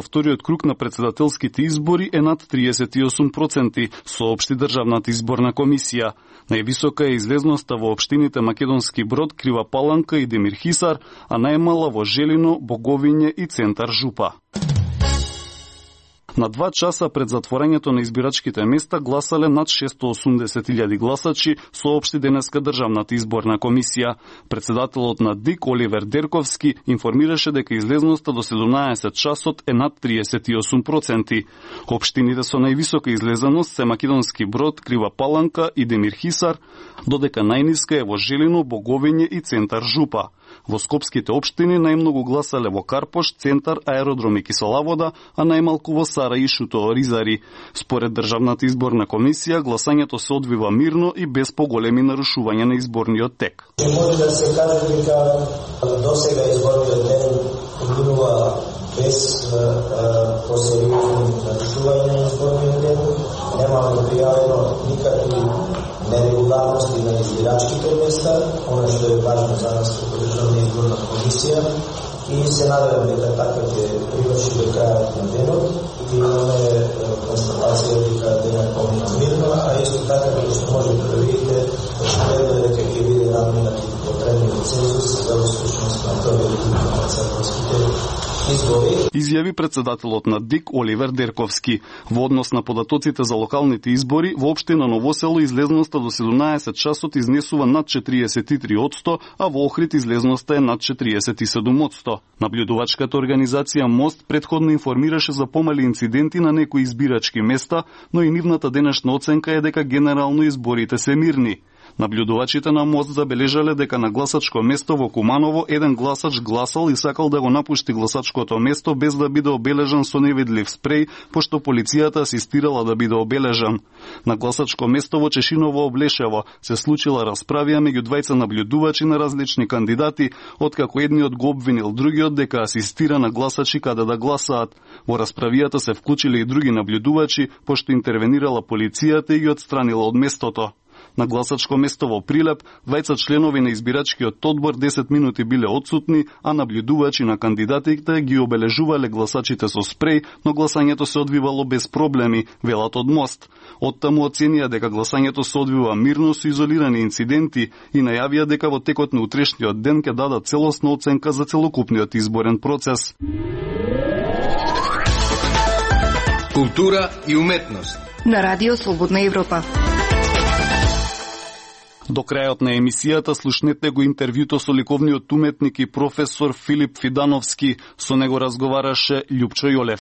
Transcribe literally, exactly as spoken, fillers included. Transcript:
Вториот круг на председателските избори е над триесет и осум проценти, соопшти Државната изборна комисија. Највисока е излезноста во општините Македонски Брод, Крива Паланка и Демир Хисар, а најмала во Желино, Боговиње и Центар Жупа. На два часа пред затворањето на избирачките места гласале над шесто и осумдесет илјади гласачи, соопшти денеска Државната изборна комисија. Председателот на ДИК Оливер Дерковски информираше дека излезноста до седумнаесет часот е над триесет и осум проценти. Општините со највисока излезеност се Македонски Брод, Крива Паланка и Демир Хисар, додека најниска е во Желино, Боговиње и Центар Жупа. Во скопските општини најмногу гласале во Карпош, Центар, Аеродром и Киселавода, а најмалку во Сара и Шуто Оризари. Според Државната изборна комисија, гласањето се одвива мирно и без поголеми нарушувања на изборниот тек. Може да се каже дека досега изборниот ден минува без посериозни нарушувања на изборниот ден. Немаме пријавено никакви нерегуларности на избирачките места, оно што е важно за нас како Државна изборна комисија, и се надевам дека така ќе приврши до крајот на денот и имаме констатација дека денот помина мирно, а исто така како што можете да видите, очигледно е дека ќе биде надминат и потребниот цензус за успешност на вториот круг на председателските избори. Изјави председателот на ДИК Оливер Дерковски. Во однос на податоците за локалните избори, во општина Новосело излезноста до седумнаесет часот изнесува над четириесет и три одсто, а во Охрид излезноста е над четириесет и седум одсто. Наблюдувачката организација Мост претходно информираше за помали инциденти на некои избирачки места, но и нивната денешна оценка е дека генерално изборите се мирни. Наблюдувачите на Мост забележале дека на гласачко место во Куманово еден гласач гласал и сакал да го напушти гласачкото место без да биде обележан со невидлив спреј, пошто полицијата асистирала да биде обележан. На гласачко место во Чешиново Облешево се случила расправија меѓу двајца наблюдувачи на различни кандидати, откако едниот го обвинил другиот дека асистира на гласачи каде да гласаат. Во расправијата се вклучиле и други наблюдувачи, пошто интервенирала полицијата и ги отстранила од местото. На гласачко место во Прилеп, двајца членови на избирачкиот одбор десет минути биле отсутни, а наблюдувачи на кандидатите ги обележувале гласачите со спреј, но гласањето се одвивало без проблеми, велат од Мост. Оттаму оценија дека гласањето се одвива мирно со изолирани инциденти и најавија дека во текот на утрешниот ден ќе дадат целосна оценка за целокупниот изборен процес. Култура и уметност на Радио Слободна Европа. До крајот на емисијата слушнете го интервјуто со ликовниот уметник и професор Филип Фидановски. Со него разговараше Љупчо Јолев.